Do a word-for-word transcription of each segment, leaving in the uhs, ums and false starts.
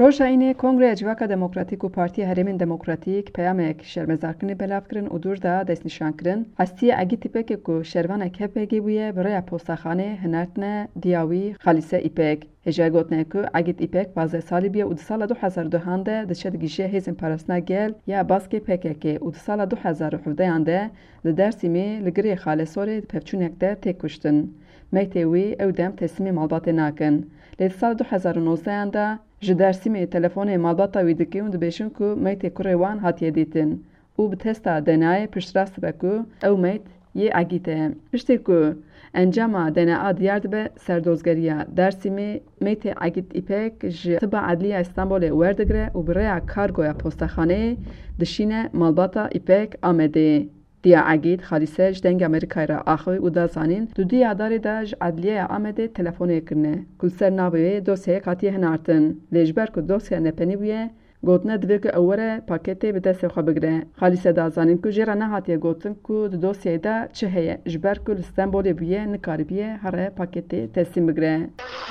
Roja Înê Kongreya Civaka Demokratîk û Partiya Herêmên Demokratîk peyamek şermezarkirinê belav kirin û dûr da destnîşan kirin, hestiyê Egîd Îpekê ku şervanek H P G bûye, bi rêya postaxanê hinertine diya wî Xalîse Îpek. Hêjayê gotine ku Egîd Îpek pazdeh salî bûye û di sala du hezar û duhan de diçe digihîje Hêzên Parastina Gel ya Baskê P K K û di sala du hezar û hevdehan de li Dêrsimê li girê Xalesorê di pevçûnek de tê kuştin. Meytê wî ew dem teslîmê malbatê nakin. Lê di sala du hezar û nozdehan de ji Dêrsimê telefonê malbata wî dikin û dibêjin ku meytê kurê wan hatiye dîtin û bi testa D N A'yê piştrast dibe ku ew meyt yê Egîd e. Piştî ku encama D N A diyar dibe, serdozgeriya Dêrsimê meytê Egîd Îpek ji Tiba Edliya Stenbolê werdigire û bi rêya kargoya postaxaneyê dişîne malbata Îpek Amedê. Diya Egîd Xalîse ji Dengê Amerîkayê re axivî û da zanîn, di duya darê de ji Edliyeya Amedê telefonê kirine, ku li ser navê wê dosyayek hatiye hinartin. Lê ji ber ku dosya nepenî bûye, gotine divê ku ew were paketê bi destê xwe bigire. Xalîse da zanîn ku jê re nehatiye gotin ku di dosyayê de çi heye, ji ber ku li Stenbolê bûye, nikaribiye here paketê teslîm bigire.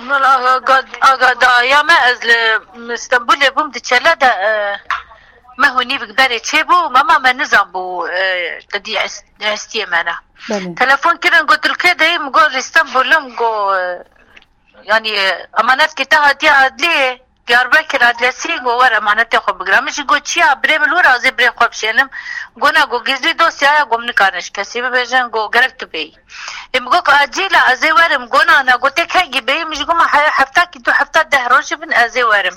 Min aga-, agadaya me, ez li Stenbolê bûm, di çele de, e, me hûnî bi berê çêbû, mama me nizanbû, e, te dî es-, hestiyê me ne. Belê. Telefon kirin, got, "Tu li kê de yî?" Min got, "Li Stenbolê." Min got, e, "Yanî, e, emanetkê te hatiye adliyê?" Diyarbekir adliyesî, got, "Were emanetê xwe bigire." Min jî got, "Çi ya, birê min li wir a, ez ê birê xwe bişênim." Got, "Na," got, "gizlî dosya ye," got, "min nikarin ji kesî bibêjin," got, "gerek tu bêyî." Ê, min got, "Acîl e, ez ê werim." Got, "Na, na," got, "tê kengî bêyî?" Min jî got, "Ma he-, hefta kî du hefta deh roj bin, ez ê werim."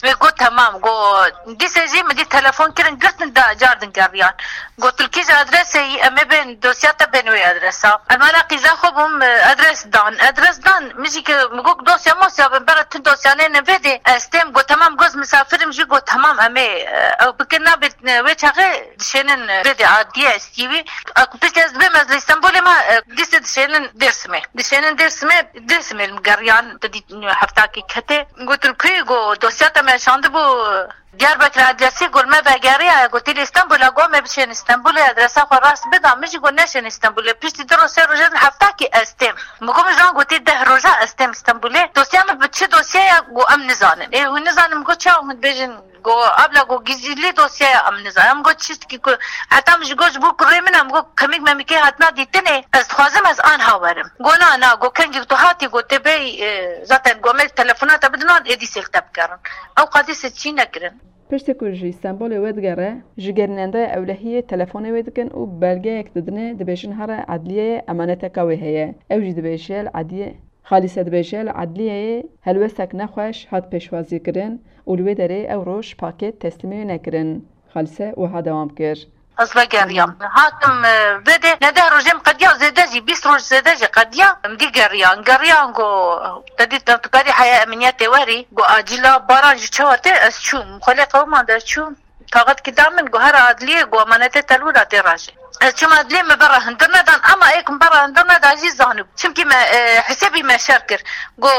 Wê got, "Temam," got. Dîsê jî min dî telefon kirin, girtin da cardin geriyan. Got, "Tu li kîj adresê yî, em ê bên dosya te bên wê adresa." Em ala qîza xwe bûm, e, adres dan. Adres dan, min jî ki, min got, "Dosya mosya bin, bera tu dosyanê ne vê dê, ez têm." Got, "Temam," got, "misafirim jî." Got, "Temam, em ê, e, ew bikin, nabê, e, wê çaxê dişênin, e, vê dê adliye ez tî wî." A ku piştî ez dibêm ez li Stenbolê me, e, dîsê dişênin Dêrsimê. Dişênin Dêrsimê, Dêrsimê li geriyan, te dît, heftakî ketê. Got, "Tu li ku yî?" Got, "Dosya te me şandibû Diyarbekir adliyesî." Got, "Me vegeriya." Got, "Tê li Stenbolê?" Got, "Me bişênin Stenbolê, adresa xwe rast bida." Min jî got, "Neşênin Stenbolê." Piştî du roj, sê roj, heftakî ez têm. Min got, "Min ji wan got tê deh roja ez têm Stenbolê. Dosya min bi çi dosye ye?" Got, "Em nizanin." Ê, hûn nizanin? Min got, "Çawa hûn dibêjin?" Got, "Abla," got, "gizlî dosye ye, em nizanin." Em got, "Çi dikî ku heta min ji got ji bo kurê min, em got, kemik memikê hatina dîtinê, ez dixwazim ez anha werim." Got, "Na, na," got, "kengî tu hatî," got, "tê bêyî, e, zaten got, me telefona te bidin wan, êdî sêl te bikerin." Ew qadî sê çî nekirin. Piştî ku ji Stenbolê vedigere, ji gerînendaya ewlehiyê telefonê wê dikin û belgeyek didine, dibêjin here edliyeyê emaneteka wê heye. Ew jî dibêje li edliyê Xalîse dibêje, li edliyeyê helwestek nexweş hat pêşwazîkirin û li wê derê ew roj paket teslîmê wê nekirin. Xalîse wiha dewam kir. Ez vegeriyam. Hatim, e, vê dê, ne deh rojê min qediya, zêde jî, bîst roj zêde jî qediya, em dî geriyan. Geriyan got, te dît, tu karî heya emniyetê werî, got, acîla baran jî çawa tê, ez çûm. Xwelê qewimand ez çûm. Kaxetkî da min, got, "Here adliyê," got, "emanetê te li wir a, tê rajê." Ez çûm adliyê, me bera hundir nedan, ama ê ku me bera hundir neda jî zanibû. Çimkî me, e, hisêbî me şer kir. Got,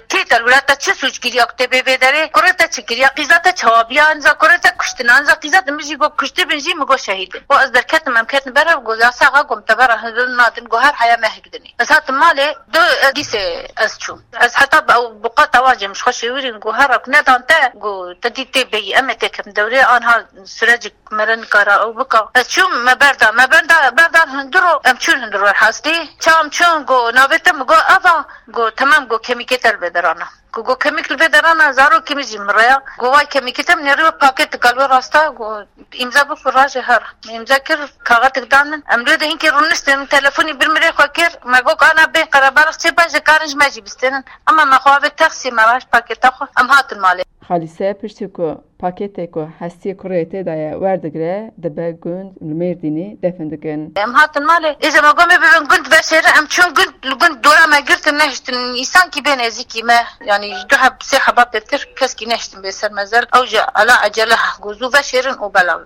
"Kê te li wir a, te çi sûc kiriya ku tê bê vê derê? Kurê te çi kiriya? Qîza te çawa biya? Anza kurê te kuştin, anza qîza te." Min jî got, "Kuştibin jî?" Min got, "Şehîdin." Got, "Ez derketim, em ketin ber hev." Got, "Yasaxa," got, "em te bera hundir nadin." Got, "Her heya me hik dinê." Ez hatim malê, do, e, dîsê ez çûm. Ez heta bi ew buqata wan jî min ji xwe şêwirîn, got, "Here ku nedan te," got, "te dî tê bêyî, em ê têkevin dewrê, anha sürecik mere nikara ew bika." Ez çûm, me berda, me berda, berdan hundir û em çûn hundir wer hastî. Ça em çûn, got, "Navê te?" Min got, "Eva." Got, "Temam," got, "kemîkê te li vê derana." Ku got, "Kemîk li vê derana, zarokê min jî mireya." Got, "Vay kemîkê te, min nêrî wê paket dika li wê rasta." Got, "Îmza bikir, rajê here." Min îmza kir, kaxetik dan min. Em li wê de hinkê rûniştin, min telefonî bir mirê xwe kir. Me got, "Ana bên Qerebalix çê ben, ji karin ji me jî bistênin." Ama me xwe avê taksî, me raşt paketa xwe. Em hatin malê. Xalîse piştî ku paketê ku hestiyê kurê tê de ye werdigire, dibe gund li Mêrdînê defin dikin. Em hatin malê. Êja me got, "Me bibin gund veşêrin." Em çûn gund, li gund dora me girtin, nehiştin. Însankî bê nêzîkî me, yanî ji du heb, sê heba pêtir keskî nehiştin bê ser me zer. Ew jî ala ecele, got, "Zû veşêrin û belav."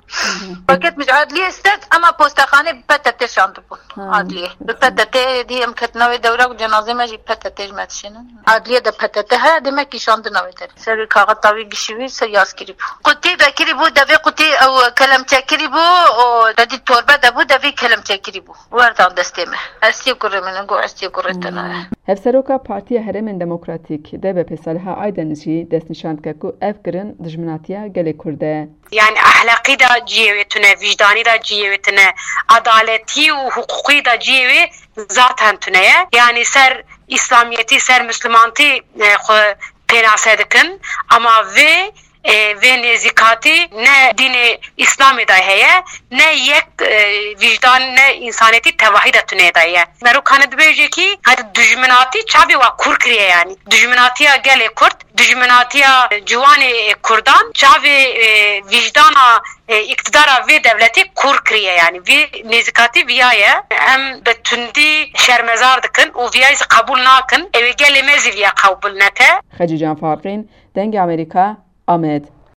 Paket min ji adliyê stend, ema postaxanê bi P T T şandibûn. Ha. Adliyê. Bi P T T dî em ketin navê dewra û cenazê me jî P T T ji me dişînin. Adliyê de P T T heye, demek kî şandina wê derê. Serê kaxeta wî gişî wî ser yaz kirî bû. Qutî vekirî bû, devê qutî ew kelemçe kirî bû, û te dî torbe de bû, devê kelemçe kirî bû. Werdan destê me. Estî kurê min, got, "Estî kurê te nayê." Hevseroka Partiya Herêmên Demokratîk, D B P, Saliha Aydeniz jî destnîşan dike ku ev kirin dijminatiya gelê Kurd e. Yani ahlaqî de cihê wê tune, vicdanî de cihê wê tune, adaletî û huquqî de cihê wê zaten tune ye. Yani ser îslamiyetî, ser mislimantî e, xwe pênase dikin. Ama vê e, vê nêzîkatî ne dînê îslamê de heye, ne yek e, vicdan, ne însanetî tevahî de tune de ye. Mero kane dibêje kî, hadi dijminatî çavê wa kûr kiriye yani. Dijminatiya gelê Kurd, dijminatiya ciwanê Kurdan çavê e, vijdana e, îktidara vê dewletê kûr kiriye yani. Vê nêzîkatî viya ye. Em bi tundî şermezar dikin û viyayî zî qebûl nakin. Ew ê gelê me zî viya qebûl neke. Xecîcan Farqîn, Dengê Amerîka, Amed.